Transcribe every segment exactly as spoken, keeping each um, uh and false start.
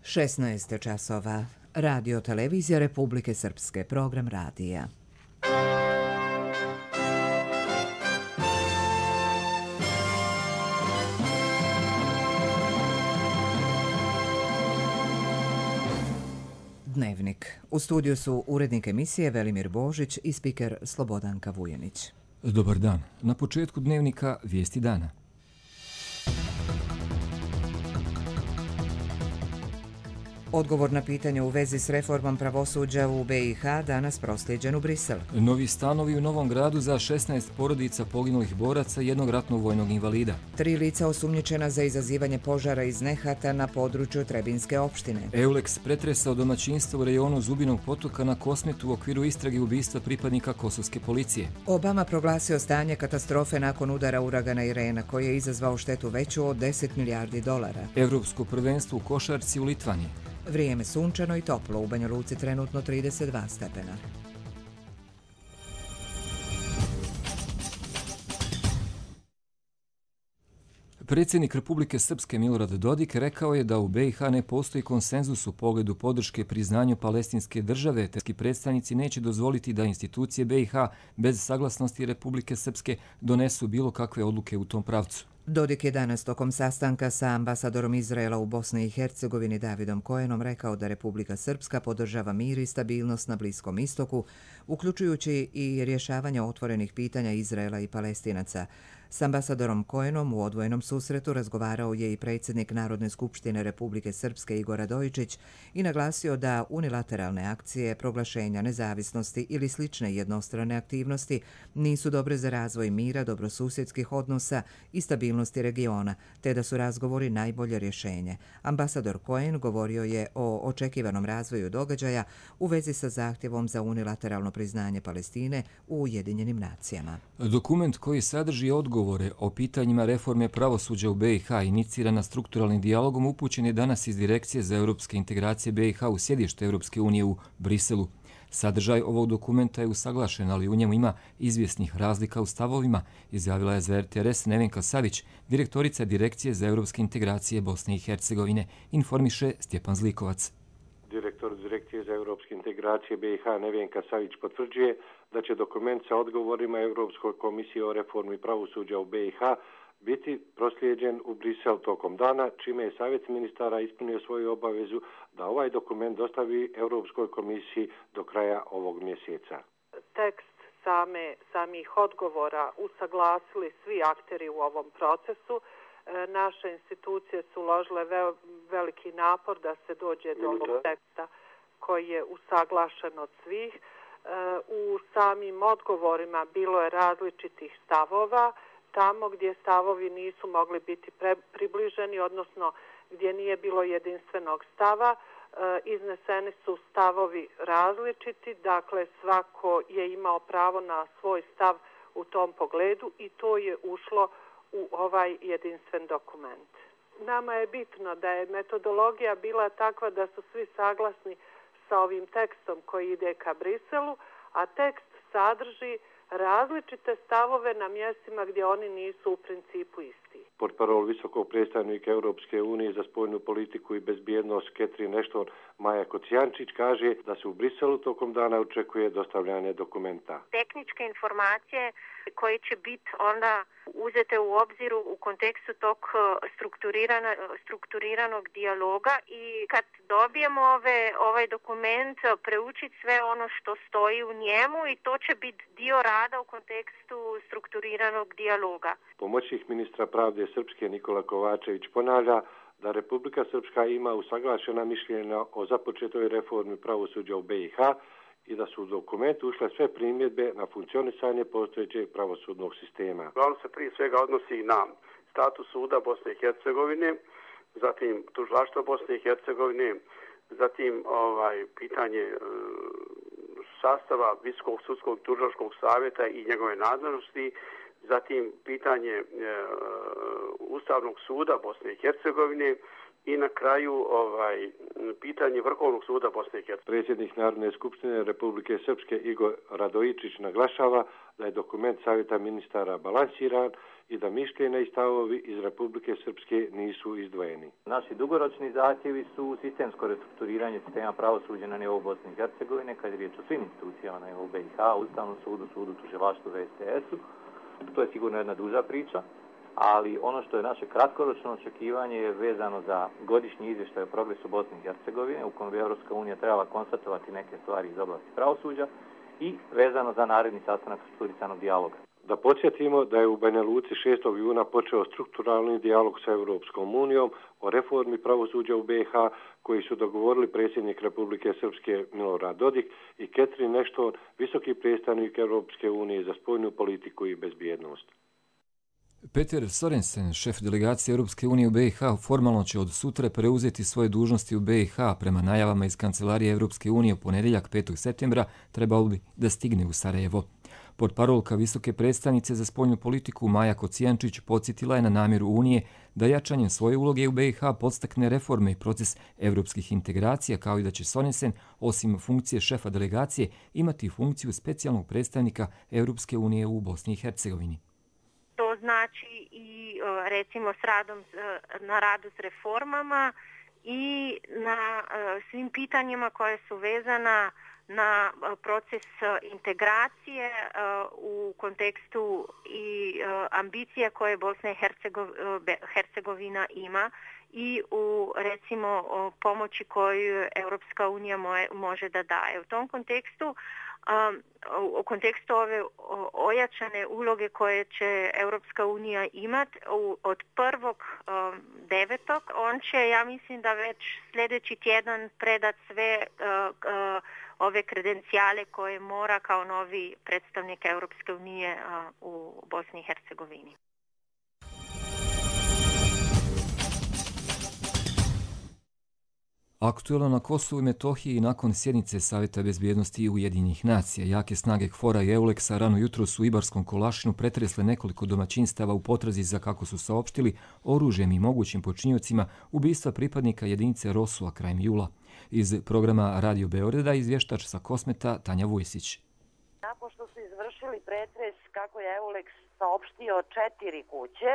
šesnaest časova. Radio Televizija Republike Srpske. Program radija. Dnevnik. U studiju su urednik emisije Velimir Božić i spiker Slobodanka Vujanić. Dobar dan. Na početku dnevnika vijesti dana. Odgovor na pitanje u vezi s reformom pravosuđa u B i H danas proslijeđen u Brisel. Novi stanovi u Novom Gradu za šesnaest porodica poginulih boraca i jednog ratnog vojnog invalida. Tri lica osumnjičena za izazivanje požara iz nehata na području Trebinske opštine. Euleks pretresao domaćinstvo u rejonu Zubinog potoka na Kosmetu u okviru istrage ubistva pripadnika kosovske policije. Obama proglasio stanje katastrofe nakon udara uragana Irena koji je izazvao štetu veću od deset milijardi dolara. Evropsko prvenstvo u košarci u Litvaniji. Vrijeme sunčano i toplo, u Banja Luci trenutno trideset dva stepena. Predsjednik Republike Srpske Milorad Dodik rekao je da u B i H ne postoji konsenzus u pogledu podrške priznanju palestinske države, te predstavnici neće dozvoliti da institucije B i H bez saglasnosti Republike Srpske donesu bilo kakve odluke u tom pravcu. Dodik je danas tokom sastanka sa ambasadorom Izraela u Bosni i Hercegovini Davidom Kojenom rekao da Republika Srpska podržava mir i stabilnost na Bliskom istoku, uključujući i rješavanje otvorenih pitanja Izraela i Palestinaca. S ambasadorom Kojenom u odvojenom susretu razgovarao je i predsjednik Narodne skupštine Republike Srpske Igor Radojičić i naglasio da unilateralne akcije, proglašenja nezavisnosti ili slične jednostrane aktivnosti nisu dobre za razvoj mira, dobrosusjedskih odnosa i stabilnosti regiona, te da su razgovori najbolje rješenje. Ambasador Kojen govorio je o očekivanom razvoju događaja u vezi sa zahtjevom za unilateralno priznanje Palestine u Ujedinjenim nacijama. Dokument koji sadrži odgovor o pitanjima reforme pravosuđa u B i H inicirana strukturalnim dijalogom upućen je danas iz Direkcije za europske integracije B i H u sjedište Europske unije u Briselu. Sadržaj ovog dokumenta je usaglašen, ali u njemu ima izvjesnih razlika u stavovima, izjavila je za R T R S Nevenka Savić, direktorica Direkcije za europske integracije Bosne i Hercegovine, informiše Stjepan Zlikovac. Direktor Direkcije za europske integracije B i H Nevenka Savić potvrđuje da će dokument sa odgovorima Europskoj komisiji o reformi pravosuđa u B i H biti proslijeđen u Brisel tokom dana, čime je Savjet ministara ispunio svoju obavezu da ovaj dokument dostavi Europskoj komisiji do kraja ovog mjeseca. Tekst same, samih odgovora usaglasili svi akteri u ovom procesu. Naše institucije su uložile veliki napor da se dođe do ovog teksta koji je usaglašen od svih. U samim odgovorima bilo je različitih stavova. Tamo gdje stavovi nisu mogli biti pre, približeni, odnosno gdje nije bilo jedinstvenog stava, izneseni su stavovi različiti, dakle svako je imao pravo na svoj stav u tom pogledu i to je ušlo u ovaj jedinstven dokument. Nama je bitno da je metodologija bila takva da su svi saglasni sa ovim tekstom koji ide ka Briselu, a tekst sadrži različite stavove na mjestima gdje oni nisu u principu isti. Portparol visokog predstavnika Europske unije za spoljnu politiku i bezbjednost Catherine Ashton Maja Kocijančić kaže da se u Briselu tokom dana očekuje dostavljanje dokumenta. Tehničke informacije koje će biti onda uzete u obzir u kontekstu tog strukturirana, strukturiranog dijaloga i kad dobijemo ove, ovaj dokument preučiti sve ono što stoji u njemu i to će biti dio rada u kontekstu strukturiranog dijaloga. Pomoćnik ministra pravde Srpske Nikola Kovačević ponavlja da Republika Srpska ima usaglašena mišljenja o započetoj reformi pravosuđa u B i H i da su u dokumentu ušle sve primjedbe na funkcionisanje postojećeg pravosudnog sistema. On se prije svega odnosi na status suda Bosne i Hercegovine, zatim tužilaštva Bosne i Hercegovine, zatim ovaj pitanje e, sastava Visokog sudskog tužilačkog savjeta i njegove nadležnosti, zatim pitanje e, Ustavnog suda Bosne i Hercegovine i na kraju ovaj pitanje Vrhovnog suda Bosne i Hercegovine. Predsjednik Narodne skupštine Republike Srpske Igor Radojičić naglašava da je dokument Savjeta ministara balansiran i da mišljenja i stavovi iz Republike Srpske nisu izdvojeni. Naši dugoročni zahtjevi su sistemsko restrukturiranje sistema pravosuđa na nivou Bosne i Hercegovine, kad je riječ o svim institucijama na nivou B i H, Ustavnom sudu, sudu, tužilaštvu, V S T S-u. To je sigurno jedna duža priča, ali ono što je naše kratkoročno očekivanje je vezano za godišnji izvještaj o progresu Bosne i Hercegovine, u kojem bi Europska unija trebala konstatovati neke stvari iz oblasti pravosuđa i vezano za naredni sastanak strukturisanog dijaloga. Da podsjetimo da je u Banja Luci šestog juna počeo strukturalni dijalog sa Europskom unijom o reformi pravosuđa u B i H koji su dogovorili predsjednik Republike Srpske Milorad Dodik i Catherine Ashton, visoki predstavnik Europske unije za spoljnu politiku i bezbjednost. Peter Sorensen, šef delegacije Europske unije u B i H, formalno će od sutra preuzeti svoje dužnosti u B i H. Prema najavama iz Kancelarije Europske unije u ponedjeljak petog septembra trebalo bi da stigne u Sarajevo. Portparolka visoke predstavnice za spoljnu politiku Maja Kocijančić podsjetila je na namjeru Unije da jačanjem svoje uloge u B i H podstakne reforme i proces evropskih integracija, kao i da će Sorensen, osim funkcije šefa delegacije, imati funkciju specijalnog predstavnika Europske unije u Bosni i Hercegovini. To znači i recimo s radom, na radu s reformama i na svim pitanjima koje su vezana na proces integracije u kontekstu i ambicije koje Bosna i Hercegovina ima i u recimo pomoći koju Europska unija može da daje. U tom kontekstu u kontekstu ove ojačane uloge koje će Europska unija imati od prvog devetog, on će, ja mislim da već sljedeći tjedan predat sve ove kredencijale koje mora kao novi predstavnik Europske unije u Bosni i Hercegovini. Aktuelno na Kosovu i Metohiji nakon sjednice Savjeta bezbjednosti Ujedinjenih nacija. Jake snage KFOR-a i EULEX-a rano jutros u Ibarskom Kolašinu pretresle nekoliko domaćinstava u potrazi za, kako su saopštili, oružjem i mogućim počinjocima ubistva pripadnika jedinice Rosua krajem jula. Iz programa Radio Beograda izvještač sa Kosmeta Tanja Vujsić. Nakon što su izvršili pretres, kako je EULEX saopštio, četiri kuće,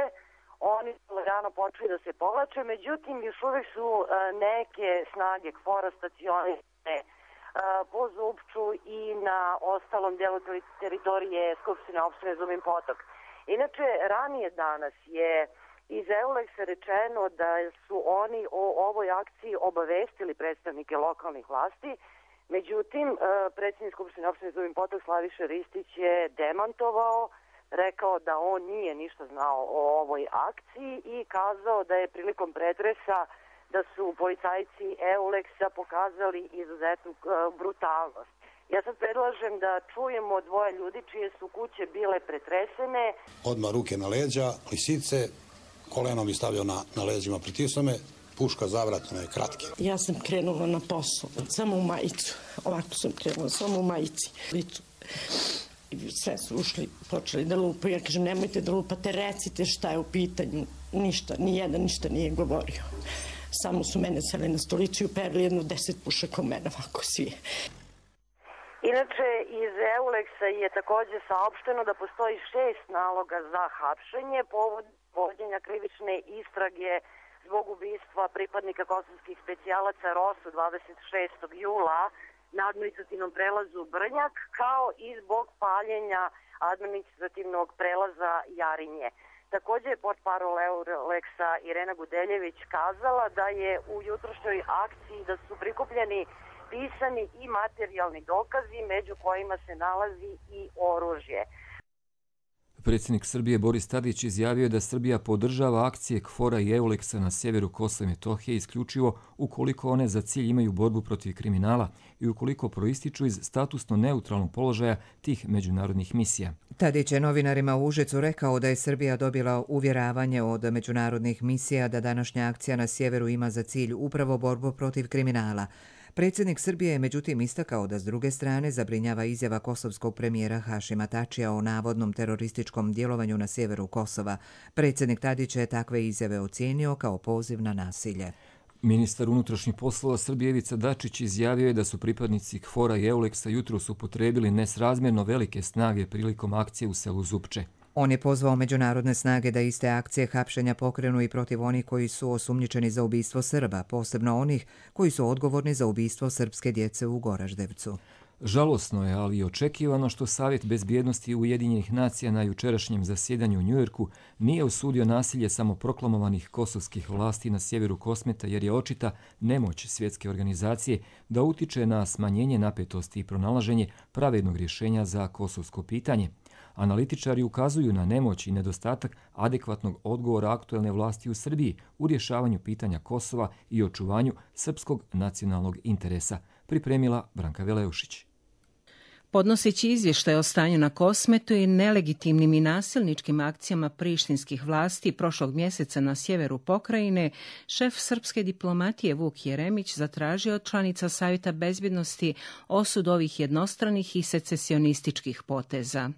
oni su rano počeli da se povlače, međutim još uvijek su neke snage KFOR-a stacionirane po Zupču i na ostalom delu teritorije Skupštine opštine Zubin Potok. Inače, ranije danas je iz EULEX-a rečeno da su oni o ovoj akciji obavestili predstavnike lokalnih vlasti, međutim, predsjednik Skupštine opštine Zubin Potok Slaviša Ristić je demantovao, rekao da on nije ništa znao o ovoj akciji i kazao da je prilikom pretresa da su policajci EULEX-a pokazali izuzetnu brutalnost. Ja sad predlažem da čujemo dvoje ljudi čije su kuće bile pretresene. Odmah ruke na leđa, lisice, koleno mi stavio na, na leđima, pritisnuo me, puška zavratna je kratke. Ja sam krenula na posao, samo u majicu, ovako sam krenula, samo u majici. Sve su ušli, počeli da lupaju. Ja kažem, nemojte da lupate, recite šta je u pitanju. Ništa, nijedan ništa nije govorio. Samo su mene seli na stolicu i uperili jedno deset pušaka u mene, ovako svi. Inače, iz EULEX-a je također saopšteno da postoji šest naloga za hapšenje povod vođenja krivične istrage zbog ubistva pripadnika kosovskih specijalaca Rosu dvadeset šestog jula na administrativnom prelazu Brnjak, kao i zbog paljenja administrativnog prelaza Jarinje. Također je portparol EULEX-a Irena Gudeljević kazala da je u jutrošnjoj akciji da su prikupljeni pisani i materijalni dokazi, među kojima se nalazi i oružje. Predsjednik Srbije Boris Tadić izjavio je da Srbija podržava akcije KFOR-a i EULEX-a na sjeveru Kosova i Metohije isključivo ukoliko one za cilj imaju borbu protiv kriminala i ukoliko proističu iz statusno neutralnog položaja tih međunarodnih misija. Tadić je novinarima u Užicu rekao da je Srbija dobila uvjeravanje od međunarodnih misija da današnja akcija na sjeveru ima za cilj upravo borbu protiv kriminala. Predsjednik Srbije je međutim istakao da s druge strane zabrinjava izjava kosovskog premijera Hašima Tačija o navodnom terorističkom djelovanju na sjeveru Kosova. Predsjednik Tadić je takve izjave ocijenio kao poziv na nasilje. Ministar unutrašnjih poslova Srbije Ivica Dačić izjavio je da su pripadnici K F O R-a i Euleksa jutros upotrebili nesrazmjerno velike snage prilikom akcije u selu Zupče. On je pozvao međunarodne snage da iste akcije hapšenja pokrenu i protiv onih koji su osumnjičeni za ubistvo Srba, posebno onih koji su odgovorni za ubistvo srpske djece u Goraždevcu. Žalosno je, ali i očekivano što Savjet bezbjednosti Ujedinjenih nacija na jučerašnjem zasjedanju u Njujorku nije osudio nasilje samoproklamovanih kosovskih vlasti na sjeveru Kosmeta jer je očita nemoć svjetske organizacije da utiče na smanjenje napetosti i pronalaženje pravednog rješenja za kosovsko pitanje. Analitičari ukazuju na nemoć i nedostatak adekvatnog odgovora aktuelne vlasti u Srbiji u rješavanju pitanja Kosova i očuvanju srpskog nacionalnog interesa, pripremila Branka Veleušić. Podnoseći izvještaj o stanju na Kosmetu i nelegitimnim i nasilničkim akcijama prištinskih vlasti prošlog mjeseca na sjeveru pokrajine, šef srpske diplomatije Vuk Jeremić zatražio od članica Savjeta bezbjednosti osud ovih jednostranih i secesionističkih poteza.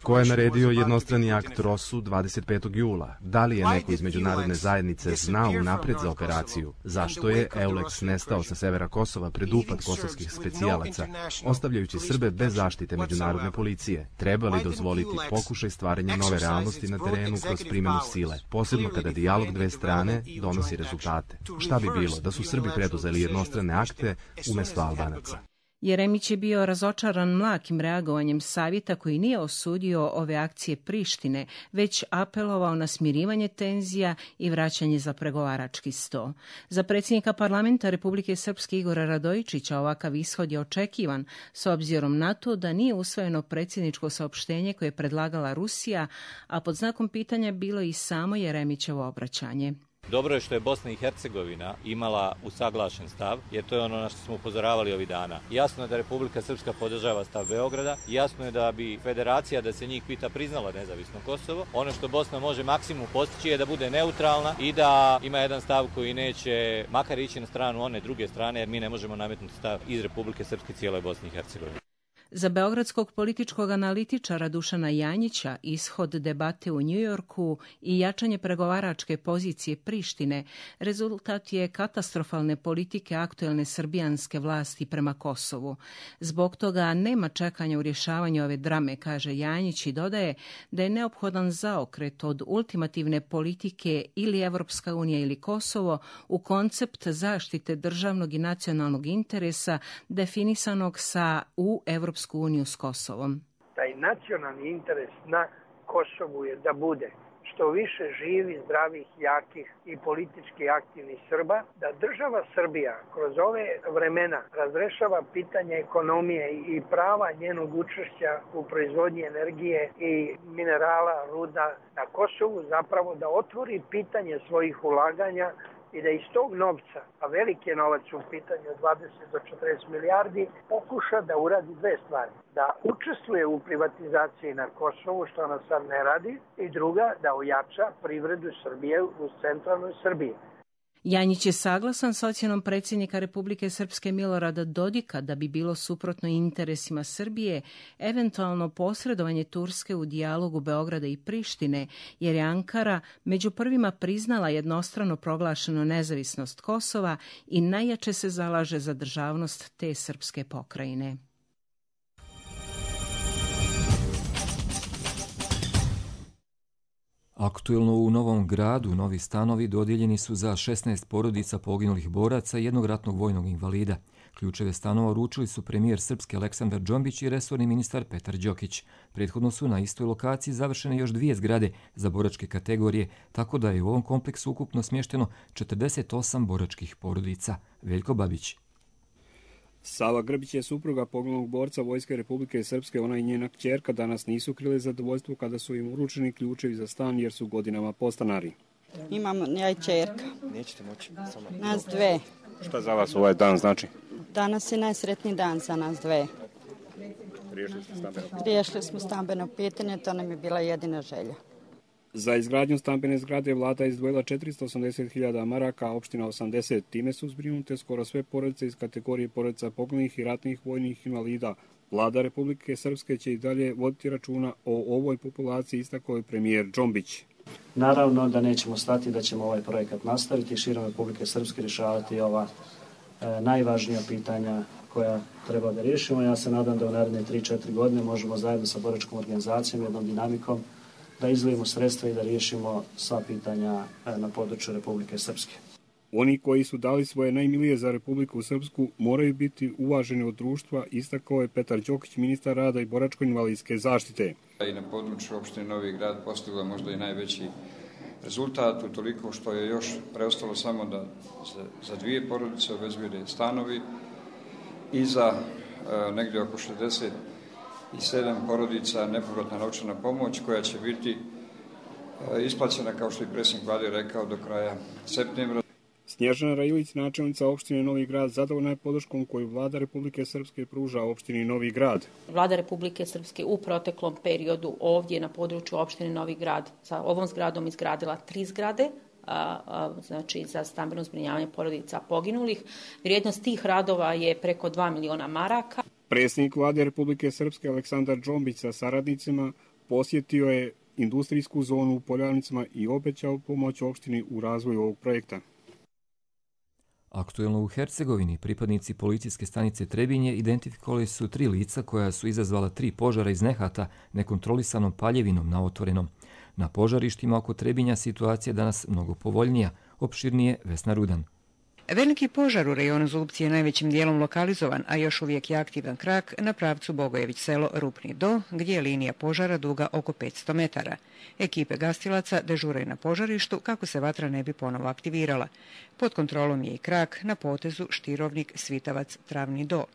Ko je naredio jednostrani akt Rosu dvadeset petog jula? Da li je neko iz međunarodne zajednice znao unapred za operaciju? Zašto je Euleks nestao sa severa Kosova pred upad kosovskih specijalaca, ostavljajući Srbe bez zaštite međunarodne policije? Treba li dozvoliti pokušaj stvaranja nove realnosti na terenu kroz primjenu sile, posebno kada dijalog dve strane donosi rezultate? Šta bi bilo da su Srbi preduzeli jednostrane akte umjesto Albanaca? Jeremić je bio razočaran mlakim reagovanjem Savjeta koji nije osudio ove akcije Prištine, već apelovao na smirivanje tenzija i vraćanje za pregovarački sto. Za predsjednika parlamenta Republike Srpske Igora Radojičića ovakav ishod je očekivan, s obzirom na to da nije usvojeno predsjedničko saopštenje koje je predlagala Rusija, a pod znakom pitanja bilo i samo Jeremićevo obraćanje. Dobro je što je Bosna i Hercegovina imala usaglašen stav, jer to je ono na što smo upozoravali ovih dana. Jasno je da Republika Srpska podržava stav Beograda, jasno je da bi federacija, da se njih pita, priznala nezavisno Kosovo. Ono što Bosna može maksimum postići je da bude neutralna i da ima jedan stav koji neće makar ići na stranu one druge strane, jer mi ne možemo nametnuti stav iz Republike Srpske cijeloj Bosni i Hercegovini. Za beogradskog političkog analitičara Dušana Janjića ishod debate u Njujorku i jačanje pregovaračke pozicije Prištine rezultat je katastrofalne politike aktuelne srbijanske vlasti prema Kosovu. Zbog toga nema čekanja u rješavanju ove drame, kaže Janjić i dodaje da je neophodan zaokret od ultimativne politike ili Evropska unija ili Kosovo u koncept zaštite državnog i nacionalnog interesa definisanog sa u Evropsku uniju s Kosovom. Taj nacionalni interes na Kosovu je da bude što više živi, zdravih, jakih i politički aktivnih Srba, da država Srbija kroz ove vremena razrešava pitanje ekonomije i prava njenog učešća u proizvodnji energije i minerala, ruda na Kosovu, zapravo da otvori pitanje svojih ulaganja i da iz tog novca, a veliki je novac u pitanju od dvadeset do četrdeset milijardi, pokuša da uradi dve stvari. Da učestvuje u privatizaciji na Kosovu, što ona sad ne radi, i druga, da ojača privredu Srbije u centralnoj Srbiji. Janjić je saglasan s ocjenom predsjednika Republike Srpske Milorada Dodika da bi bilo suprotno interesima Srbije eventualno posredovanje Turske u dijalogu Beograda i Prištine, jer je Ankara među prvima priznala jednostrano proglašenu nezavisnost Kosova i najjače se zalaže za državnost te srpske pokrajine. Aktuelno u Novom Gradu novi stanovi dodijeljeni su za šesnaest porodica poginulih boraca i jednog ratnog vojnog invalida. Ključeve stanova uručili su premijer Srpske Aleksandar Džombić i resorni ministar Petar Đokić. Prethodno su na istoj lokaciji završene još dvije zgrade za boračke kategorije, tako da je u ovom kompleksu ukupno smješteno četrdeset osam boračkih porodica. Veljko Babić. Sava Grbić je supruga poginulog borca Vojske Republike Srpske. Ona i njena kćerka danas nisu krili zadovoljstvo kada su im uručeni ključevi za stan jer su godinama podstanari. Imam ja i kćerka. Nećete moći. Samo. Nas dve. Šta za vas ovaj dan znači? Danas je najsretniji dan za nas dve. Riješili ste stambeno pitanje? Riješili smo stambeno pitanje, to nam je bila jedina želja. Za izgradnju stambene zgrade vlada izdvojila četiristo osamdeset hiljada maraka, a opština osamdeset. Time su zbrinute skoro sve porodice iz kategorije porodica poginulih i ratnih vojnih invalida. Vlada Republike Srpske će i dalje voditi računa o ovoj populaciji, istakao je premijer Džombić. Naravno da nećemo stati, da ćemo ovaj projekat nastaviti i širom Republike Srpske rješavati ova e, najvažnija pitanja koja treba da riješimo. Ja se nadam da u naredne tri četiri godine možemo zajedno sa boračkom organizacijom, jednom dinamikom, da izdvojimo sredstva i da riješimo sva pitanja e, na području Republike Srpske. Oni koji su dali svoje najmilije za Republiku Srpsku moraju biti uvaženi od društva, istakao je Petar Đokić, ministar rada i boračko-invalidske zaštite. I na području opštine Novi Grad postigla možda i najveći rezultat, utoliko što je još preostalo samo da za, za dvije porodice obezbijede stanovi i za e, negdje oko šezdeset sedam porodica nepovratna novčana pomoć koja će biti e, isplaćena, kao što je predsjednik vlade rekao, do kraja septembra. Snježana Railić, načelnica opštine Novi Grad, zadovoljna je podrškom koju vlada Republike Srpske pruža opštini Novi Grad. Vlada Republike Srpske u proteklom periodu ovdje na području opštine Novi Grad sa ovom zgradom izgradila tri zgrade, a, a, znači za stambeno zbrinjavanje porodica poginulih. Vrijednost tih radova je preko dva miliona maraka. Predsjednik vlade Republike Srpske Aleksandar Džombić sa saradnicima posjetio je industrijsku zonu u Poljavnicama i obećao pomoć opštini u razvoju ovog projekta. Aktuelno u Hercegovini pripadnici policijske stanice Trebinje identifikovali su tri lica koja su izazvala tri požara iz nehata nekontrolisanom paljevinom na otvorenom. Na požarištima oko Trebinja situacija je danas mnogo povoljnija, opširnije Vesna Rudan. Veliki požar u rejonu Zlupci je najvećim dijelom lokalizovan, a još uvijek je aktivan krak na pravcu Bogojević selo Rupni do, gdje je linija požara duga oko petsto metara. Ekipe gastilaca dežuraju na požarištu kako se vatra ne bi ponovo aktivirala. Pod kontrolom je i krak na potezu Štirovnik Svitavac Travni do.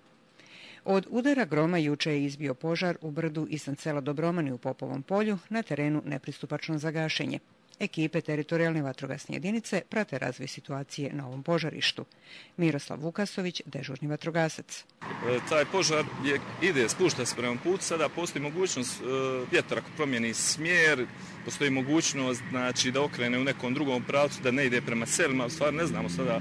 Od udara groma juče je izbio požar u brdu iznad sela Dobromani u Popovom polju, na terenu nepristupačno za gašenje. Ekipe teritorijalne vatrogasne jedinice prate razvoj situacije na ovom požarištu. Miroslav Vukasović, dežurni vatrogasac. E, taj požar je, ide, spušta se prema putu, sada postoji mogućnost e, vjetar ako promijeni smjer, postoji mogućnost znači, da okrene u nekom drugom pravcu, da ne ide prema selima, u stvari ne znamo sada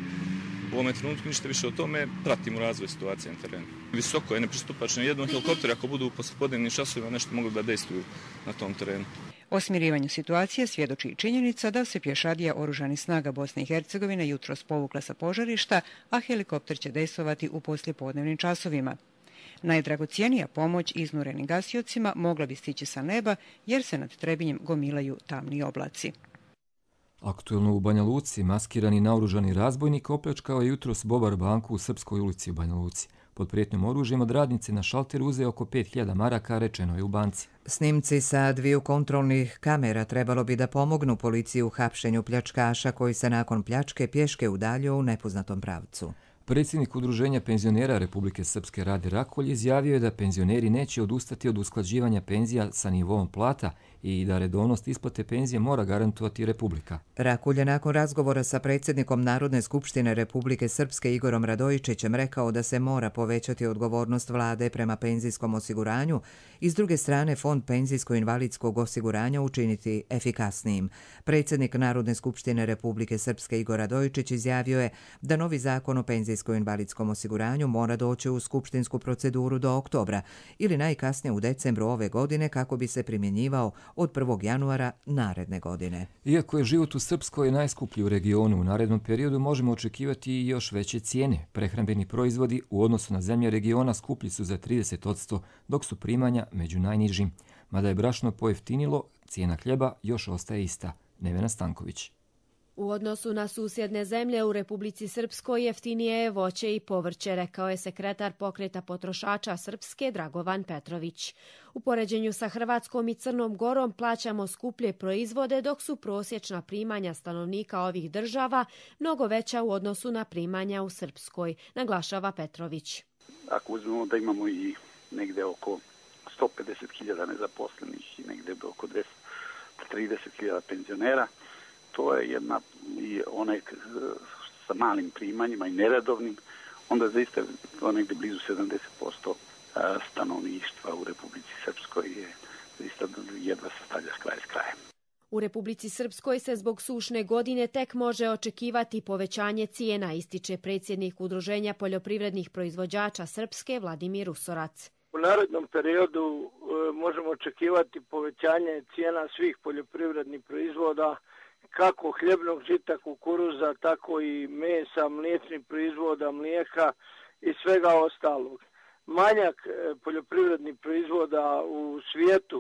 u ovom trenutku ništa više o tome, pratimo razvoj situacije na terenu. Visoko je nepristupačno, jednom helikopter ako budu u poslijepodnevnim časovima nešto mogli da dejstvuju na tom terenu. O smirivanju situacije svjedoči i činjenica da se pješadija oružanih snaga Bosne i Hercegovine jutros povukla sa požarišta, a helikopter će dejstvovati u poslijepodnevnim časovima. Najdragocijenija pomoć iznurenim gasiocima mogla bi stići sa neba jer se nad Trebinjem gomilaju tamni oblaci. Aktuelno u Banja Luci maskirani naoružani razbojnik opljačkao je jutros Bobar banku u Srpskoj ulici u Banja Luci. Pod prijetnjom oružjem od radnice na šalteru uzeo oko pet hiljada maraka, rečeno je u banci. Snimci sa dviju kontrolnih kamera trebalo bi da pomognu policiji u hapšenju pljačkaša koji se nakon pljačke pješke udaljio u nepoznatom pravcu. Predsjednik Udruženja penzionera Republike Srpske Rade Rakolj izjavio je da penzioneri neće odustati od usklađivanja penzija sa nivoom plata i da redovnost isplate penzije mora garantovati Republika. Rakolj je nakon razgovora sa predsjednikom Narodne skupštine Republike Srpske Igorom Radojičićem rekao da se mora povećati odgovornost vlade prema penzijskom osiguranju i s druge strane fond penzijsko-invalidskog osiguranja učiniti efikasnijim. Predsjednik Narodne skupštine Republike Srpske Igor Radojičić izjavio je da novi zakon o penzijsko-invalidskom osiguranju mora doći u skupštinsku proceduru do oktobra ili najkasnije u decembru ove godine kako bi se primjenjivao od prvog januara naredne godine. Iako je život u Srpskoj najskuplji u regionu, u narednom periodu možemo očekivati i još veće cijene. Prehrambeni proizvodi u odnosu na zemlje regiona skuplji su za trideset posto, dok su primanja među najnižim. Mada je brašno pojeftinilo, cijena hljeba još ostaje ista. Nevena Stanković. U odnosu na susjedne zemlje u Republici Srpskoj jeftinije je voće i povrće, rekao je sekretar pokreta potrošača Srpske Dragovan Petrović. U poređenju sa Hrvatskom i Crnom Gorom plaćamo skuplje proizvode, dok su prosječna primanja stanovnika ovih država mnogo veća u odnosu na primanja u Srpskoj, naglašava Petrović. Ako uzmemo da imamo i negde oko sto pedeset hiljada nezaposlenih i negde oko dvjesto trideset hiljada penzionera, to je jedna i onaj sa malim primanjima i neredovnim, onda zaista to negde blizu sedamdeset posto stanovništva u Republici Srpskoj je zaista jedva se stavlja s kraja s krajem. U Republici Srpskoj se zbog sušne godine tek može očekivati povećanje cijena, ističe predsjednik Udruženja poljoprivrednih proizvođača Srpske Vladimir Usorac. U narednom periodu e, možemo očekivati povećanje cijena svih poljoprivrednih proizvoda, kako hljebnog žita, kukuruza, tako i mesa, mliječnih proizvoda, mlijeka i svega ostalog. Manjak e, poljoprivrednih proizvoda u svijetu,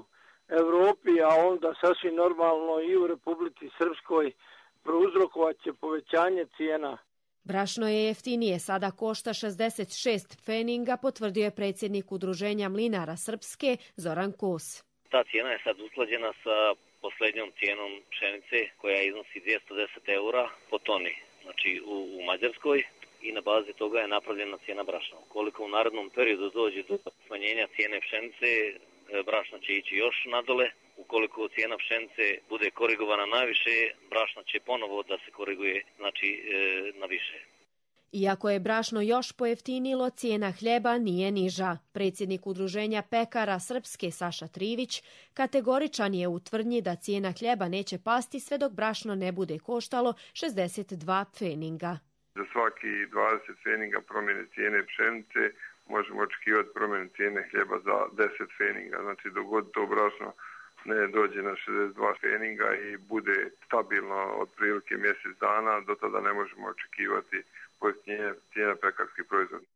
Europi, a onda sasvim normalno i u Republici Srpskoj prouzrokovat će povećanje cijena. Brašno je jeftinije, sada košta šezdeset šest pfeninga, potvrdio je predsjednik Udruženja mlinara Srpske Zoran Kos. Ta cijena je sad usklađena sa posljednjom cijenom pšenice koja iznosi dvjesto deset eura po toni, znači u, u Mađarskoj, i na bazi toga je napravljena cijena brašna. Koliko u narednom periodu dođe do smanjenja cijene pšenice, brašna će ići još nadole. Ukoliko cijena pšenice bude korigovana najviše, brašna će ponovo da se koriguje, znači e, na više. Iako je brašno još pojeftinilo, cijena hljeba nije niža. Predsjednik Udruženja pekara Srpske Saša Trivić kategoričan je u tvrdnji da cijena hljeba neće pasti sve dok brašno ne bude koštalo šezdeset dva pfeninga. Za svaki dvadeset pfeninga promjene cijene pšenice možemo očekivati promjenu cijene hljeba za deset pfeninga. Znači dok god to brašno ne dođe na šezdeset dva pfeninga i bude stabilno otprilike mjesec dana, do tada ne možemo očekivati pojeftinjenje cijena pekarskih proizvoda.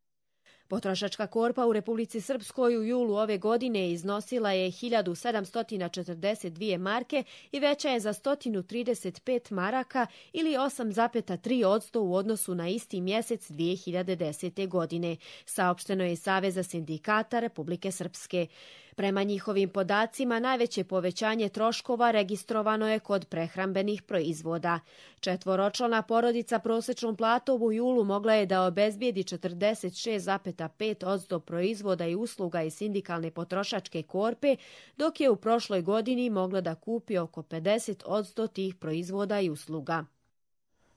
Potrošačka korpa u Republici Srpskoj u julu ove godine iznosila je hiljadu sedamsto četrdeset dvije marke i veća je za sto trideset pet maraka ili osam zarez tri posto u odnosu na isti mjesec dvije hiljade desete. godine, saopšteno je iz Saveza sindikata Republike Srpske. Prema njihovim podacima, najveće povećanje troškova registrovano je kod prehrambenih proizvoda. Četvoročlana porodica prosječnom platom u julu mogla je da obezbijedi četrdeset šest zarez pet posto proizvoda i usluga iz sindikalne potrošačke korpe, dok je u prošloj godini mogla da kupi oko pedeset posto tih proizvoda i usluga.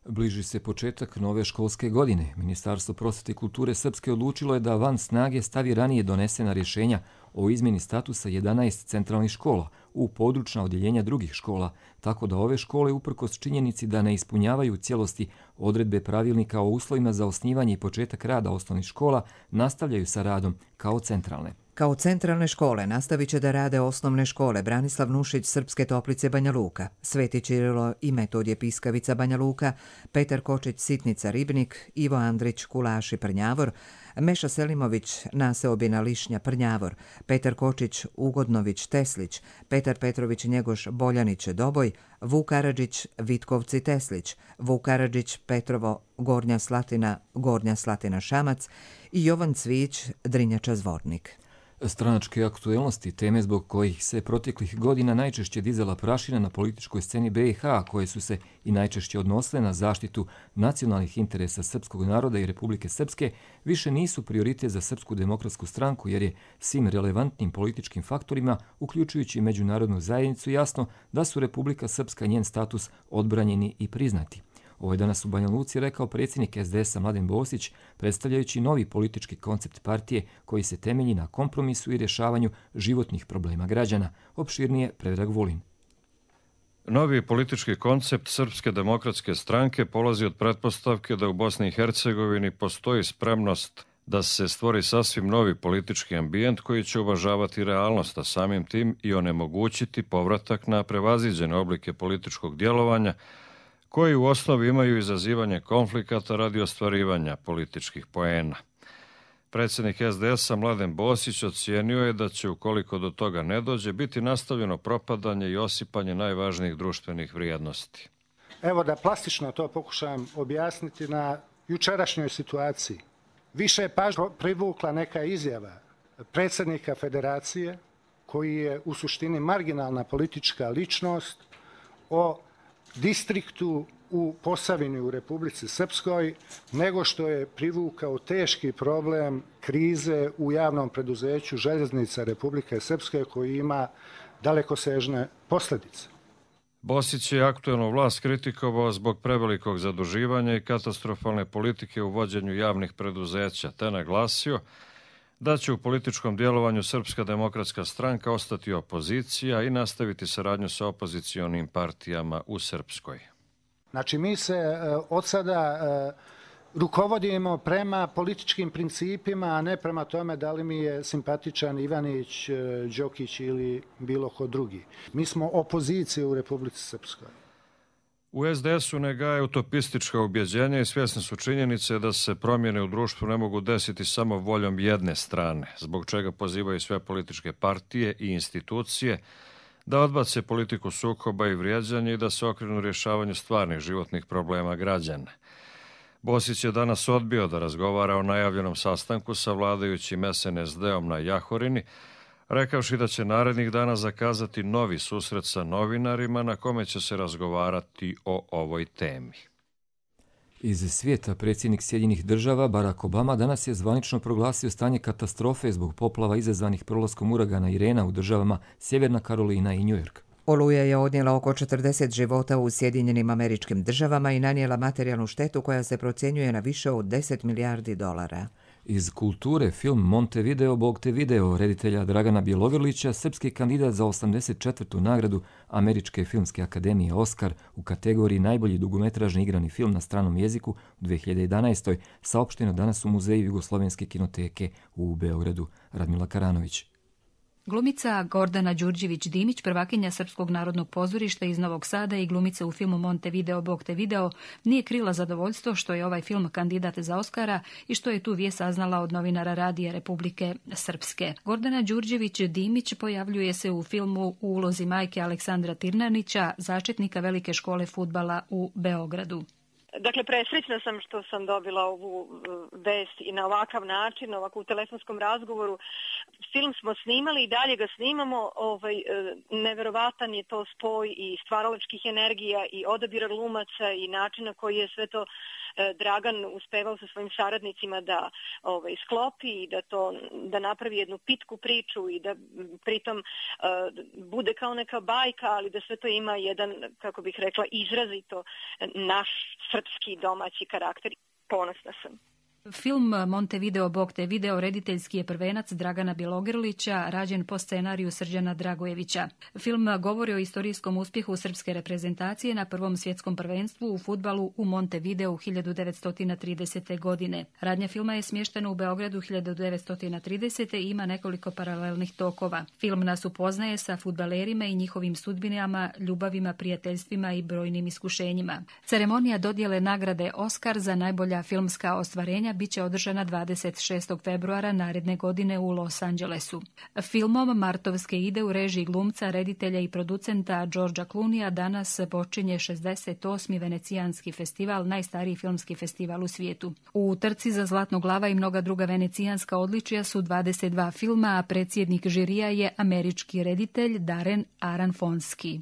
Bliži se početak nove školske godine. Ministarstvo prosvete i kulture Srpske odlučilo je da van snage stavi ranije donesena rješenja o izmjeni statusa jedanaest centralnih škola u područna odjeljenja drugih škola, tako da ove škole, uprkos činjenici da ne ispunjavaju u cijelosti odredbe pravilnika o uslovima za osnivanje i početak rada osnovnih škola, nastavljaju sa radom kao centralne. Kao centralne škole nastavit će da rade osnovne škole Branislav Nušić Srpske Toplice Banja Luka, Sveti Čirilo i Metodije Piskavica Banja Luka, Petar Kočić Sitnica Ribnik, Ivo Andrić Kulaši Prnjavor, Meša Selimović Naseobina Lišnja Prnjavor, Petar Kočić Ugodnović Teslić, Petar Petrović Njegoš Boljanić Doboj, Vuk Karadžić Vitkovci Teslić, Vuk Karadžić Petrovo Gornja Slatina Gornja Slatina Šamac i Jovan Cvić Drinjača Zvornik. Stranačke aktuelnosti, teme zbog kojih se proteklih godina najčešće dizala prašina na političkoj sceni B i H, koje su se i najčešće odnosile na zaštitu nacionalnih interesa srpskog naroda i Republike Srpske, više nisu prioritet za Srpsku demokratsku stranku, jer je svim relevantnim političkim faktorima, uključujući međunarodnu zajednicu, jasno da su Republika Srpska i njen status odbranjeni i priznati. Ovo je danas u Banja Luci rekao predsjednik S D S-a Mladen Bosić, predstavljajući novi politički koncept partije koji se temelji na kompromisu i rješavanju životnih problema građana. Opširnije Predrag Vulin. Novi politički koncept Srpske demokratske stranke polazi od pretpostavke da u Bosni i Hercegovini postoji spremnost da se stvori sasvim novi politički ambijent koji će uvažavati realnost, a samim tim i onemogućiti povratak na prevaziđene oblike političkog djelovanja koji u osnovi imaju izazivanje konflikata radi ostvarivanja političkih poena. Predsjednik S D S-a Mladen Bosić ocijenio je da će, ukoliko do toga ne dođe, biti nastavljeno propadanje i osipanje najvažnijih društvenih vrijednosti. Evo da plastično to pokušam objasniti na jučerašnjoj situaciji. Više je pažnje privukla neka izjava predsjednika federacije, koji je u suštini marginalna politička ličnost, o distriktu u Posavini u Republici Srpskoj, nego što je privukao teški problem krize u javnom preduzeću Željeznica Republike Srpske koji ima dalekosežne posljedice. Bosić je aktuelnu vlast kritikovao zbog prevelikog zaduživanja i katastrofalne politike u vođenju javnih preduzeća, te naglasio da će u političkom djelovanju Srpska demokratska stranka ostati opozicija i nastaviti saradnju sa opozicionim partijama u Srpskoj. Znači mi se od sada rukovodimo prema političkim principima, a ne prema tome da li mi je simpatičan Ivanić, Đokić ili bilo ko drugi. Mi smo opozicija u Republici Srpskoj. U es de esu ne gaje utopistička ubjeđenja i svjesni su činjenice da se promjene u društvu ne mogu desiti samo voljom jedne strane, zbog čega pozivaju sve političke partije i institucije da odbace politiku sukoba i vrijeđanja i da se okrenu rješavanju stvarnih životnih problema građana. Bosić je danas odbio da razgovara o najavljenom sastanku sa vladajućim es en es de-om na Jahorini, rekavši da će narednih dana zakazati novi susret sa novinarima na kome će se razgovarati o ovoj temi. Iz svijeta predsjednik Sjedinjenih država Barack Obama danas je zvanično proglasio stanje katastrofe zbog poplava izazvanih prolaskom uragana Irena u državama Sjeverna Karolina i New York. Oluja je odnijela oko četrdeset života u Sjedinjenim Američkim Državama i nanijela materijalnu štetu koja se procjenjuje na više od deset milijardi dolara. Iz kulture film Montevideo Bog te video reditelja Dragana Bjelogrlića, srpski kandidat za osamdeset četvrtu nagradu Američke filmske akademije Oskar u kategoriji najbolji dugometražni igrani film na stranom jeziku u dvije hiljade jedanaestoj saopšteno danas u Muzeju Jugoslovenske kinoteke u Beogradu. Radmila Karanović. Glumica Gordana Đurđević-Dimić, prvakinja Srpskog narodnog pozorišta iz Novog Sada i glumica u filmu Montevideo Bog te video, nije krila zadovoljstvo što je ovaj film kandidat za Oskara i što je tu vijest saznala od novinara Radija Republike Srpske. Gordana Đurđević-Dimić pojavljuje se u filmu u ulozi majke Aleksandra Tirnanića, začetnika velike škole fudbala u Beogradu. Dakle, presrećna sam što sam dobila ovu vest i na ovakav način, ovako u telefonskom razgovoru. Film smo snimali i dalje ga snimamo. Ovaj, neverovatan je to spoj i stvaralačkih energija i odabira glumaca i načina koji je sve to Dragan uspevao sa svojim saradnicima da ovaj, sklopi i da, to, da napravi jednu pitku priču i da pritom uh, bude kao neka bajka, ali da sve to ima jedan, kako bih rekla, izrazito naš srpski domaći karakter. Ponosna sam. Film Montevideo Bog te video rediteljski je prvenac Dragana Bjelogrlića, rađen po scenariju Srđana Dragojevića. Film govori o istorijskom uspjehu srpske reprezentacije na prvom svjetskom prvenstvu u fudbalu u Montevideu hiljadu devetsto tridesete. godine. Radnja filma je smještena u Beogradu hiljadu devetsto tridesete. i ima nekoliko paralelnih tokova. Film nas upoznaje sa fudbalerima i njihovim sudbinama, ljubavima, prijateljstvima i brojnim iskušenjima. Ceremonija dodjele nagrade Oskar za najbolja filmska ostvarenja biće održana dvadeset šestog februara naredne godine u Los Angelesu. Filmom Martovske ide u režiji glumca, reditelja i producenta Georgea Clooneyja danas počinje šezdeset osmi Venecijanski festival, najstariji filmski festival u svijetu. U trci za Zlatnog lava i mnoga druga venecijanska odličija su dvadeset dva filma, a predsjednik žirija je američki reditelj Darren Aronofsky.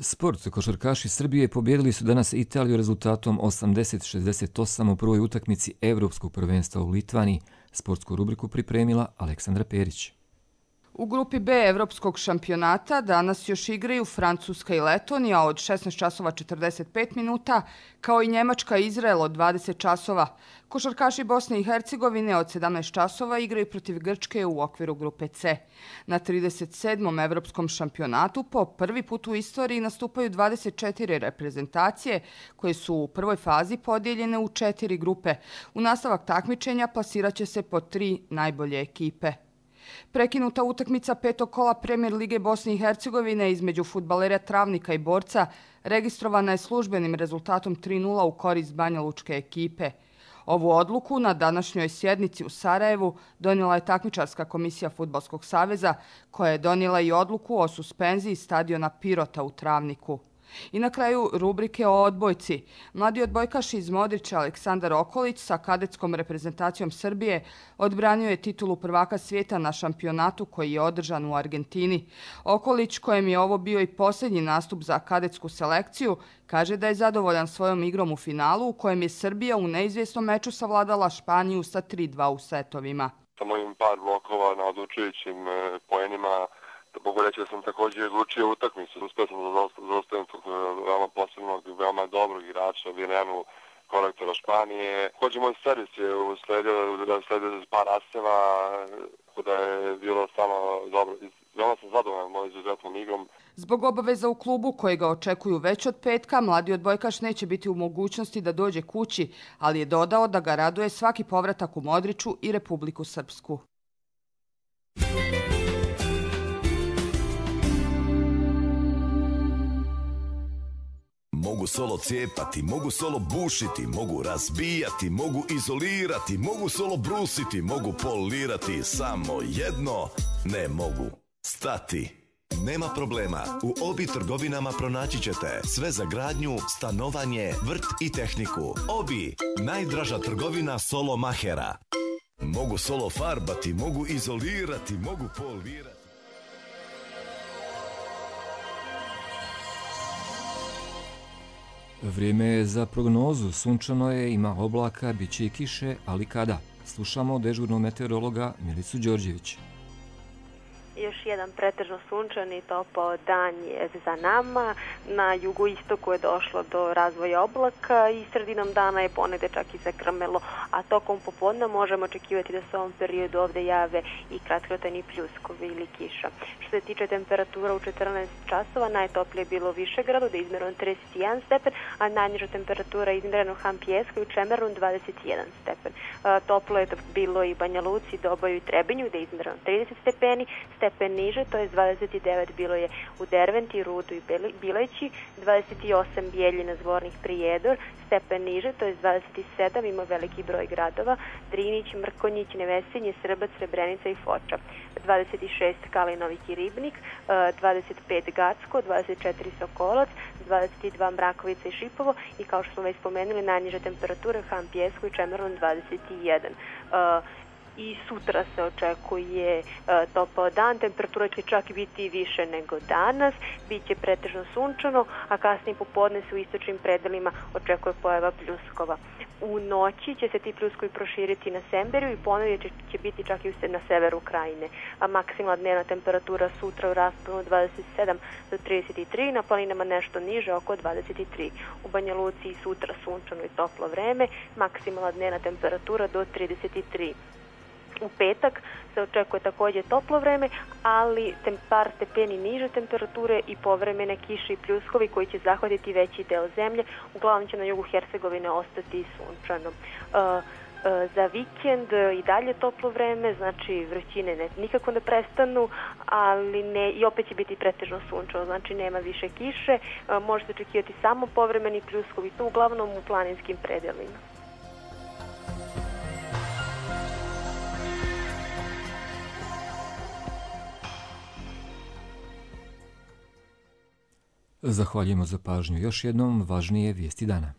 Sport. Košarkaši Srbije pobjedili su danas Italiju rezultatom osamdeset šezdeset osam u prvoj utakmici Evropskog prvenstva u Litvaniji. Sportsku rubriku pripremila Aleksandra Perić. U grupi B Evropskog šampionata danas još igraju Francuska i Letonija od šesnaest časova četrdeset pet minuta, kao i Njemačka i Izrael od dvadeset časova. Košarkaši Bosne i Hercegovine od sedamnaest časova igraju protiv Grčke u okviru grupe C. Na trideset sedmom Evropskom šampionatu po prvi put u istoriji nastupaju dvadeset četiri reprezentacije koje su u prvoj fazi podijeljene u četiri grupe. U nastavak takmičenja plasirat će se po tri najbolje ekipe. Prekinuta utakmica petog kola Premijer Lige Bosne i Hercegovine između fudbalera Travnika i Borca registrovana je službenim rezultatom tri nula u korist banjalučke ekipe. Ovu odluku na današnjoj sjednici u Sarajevu donijela je takmičarska komisija Fudbalskog saveza, koja je donijela i odluku o suspenziji stadiona Pirota u Travniku. I na kraju rubrike o odbojci. Mladi odbojkaš iz Modrića Aleksandar Okolić sa kadetskom reprezentacijom Srbije odbranio je titulu prvaka svijeta na šampionatu koji je održan u Argentini. Okolić, kojem je ovo bio i posljednji nastup za kadetsku selekciju, kaže da je zadovoljan svojom igrom u finalu u kojem je Srbija u neizvjesnom meču savladala Španiju sa tri dva u setovima. Sa mojim par blokova na odlučujućim poenima mogu reći da sam također odlučio utakmicu. Uspio sam da zaustavim tog veoma posebnog i veoma dobrog igrača, Virenu, korektora Španije. Također moj servis je usledio da sledio par aseva, da je bilo samo dobro. Veoma sam zadovoljan mojom izuzetnom igrom. Zbog obaveza u klubu koje ga očekuju već od petka, mladi odbojkaš neće biti u mogućnosti da dođe kući, ali je dodao da ga raduje svaki povratak u Modriču i Republiku Srpsku. Mogu solo cijepati, mogu solo bušiti, mogu razbijati, mogu izolirati, mogu solo brusiti, mogu polirati, samo jedno ne mogu stati. Nema problema, u Obi trgovinama pronaći ćete sve za gradnju, stanovanje, vrt i tehniku. Obi, najdraža trgovina solo mahera. Mogu solo farbati, mogu izolirati, mogu polirati. Vrijeme je za prognozu. Sunčano je, ima oblaka, bit će i kiše, ali kada? Slušamo dežurnog meteorologa Milicu Đorđević. Još jedan pretežno sunčan i topao dan je za nama. Na jugoistoku je došlo do razvoja oblaka i sredinom dana je ponegde čak i zagrmelo, a tokom popodne možemo očekivati da se u ovom periodu ovde jave i kratkotrajni pljuskovi ili kiša. Što se tiče temperatura u četrnaest časova, najtoplije je bilo u Višegradu da je izmjereno trideset jedan stepen, a najniža temperatura je izmjerena u Hampijeskoj u Čemernu dvadeset jedan stepen. Toplo je bilo i Banja Luci, Doboju i Trebinju da je izmjereno trideset stepeni, stepen niže, to je dvadeset devet bilo je u Derventi, Rudu i Bileći, dvadeset osam Bijeljina, Zvornik, Prijedor, stepen niže, to je dvadeset sedam, ima veliki broj gradova, Drinić, Mrkonjić, Nevesinje, Srbac, Srebrenica i Foča, dvadeset šest Kalinovik i Ribnik, dvadeset pet Gacko, dvadeset četiri Sokolac, dvadeset dva Mrakovica i Šipovo i kao što smo već spomenuli, najniža temperatura u Hampijeskoj i Čemernu dvadeset jedan. I sutra se očekuje e, topao dan, temperatura će čak biti više nego danas, bit će pretežno sunčano, a kasnije popodne se u istočnim predelima očekuje pojava pljuskova. U noći će se ti pljuskovi proširiti na Semberiju i ponovno će, će biti čak i na severu Krajine. A maksimalna dnevna temperatura sutra u rasponu dvadeset sedam do trideset tri, na planinama nešto niže, oko dvadeset tri. U Banja Luci i sutra sunčano i toplo vreme, maksimalna dnevna temperatura do trideset tri. U petak se očekuje također toplo vreme, ali par stepeni niže temperature i povremene kiše i pljuskovi koji će zahvatiti veći deo zemlje. Uglavnom će na jugu Hercegovine ostati sunčano. Uh, uh, za vikend i dalje toplo vreme, znači vrućine ne, nikako ne prestanu, ali ne, i opet će biti pretežno sunčano, znači nema više kiše. Uh, može se očekivati samo povremeni pljuskovi, to uglavnom u planinskim predelima. Zahvaljujemo za pažnju. Još jednom važnije vijesti dana.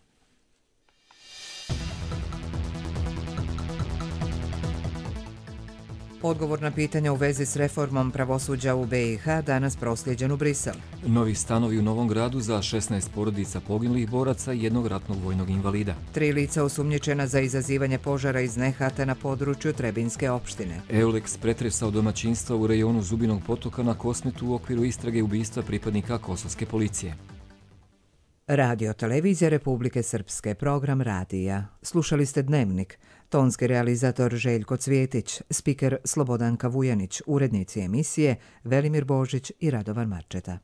Odgovor na pitanja u vezi s reformom pravosuđa u be i ha danas proslijeđen u Brisel. Novi stanovi u Novom Gradu za šesnaest porodica poginulih boraca i jednog ratnog vojnog invalida. Tri lica osumnjičena za izazivanje požara iz nehata na području Trebinske opštine. Eulex pretresao domaćinstva u rejonu Zubinog potoka na Kosmetu u okviru istrage ubistva pripadnika kosovske policije. Radio Televizija Republike Srpske, program radija. Slušali ste Dnevnik. Tonski realizator Željko Cvjetić, spiker Slobodanka Vujanić, urednici emisije Velimir Božić i Radovan Marčeta.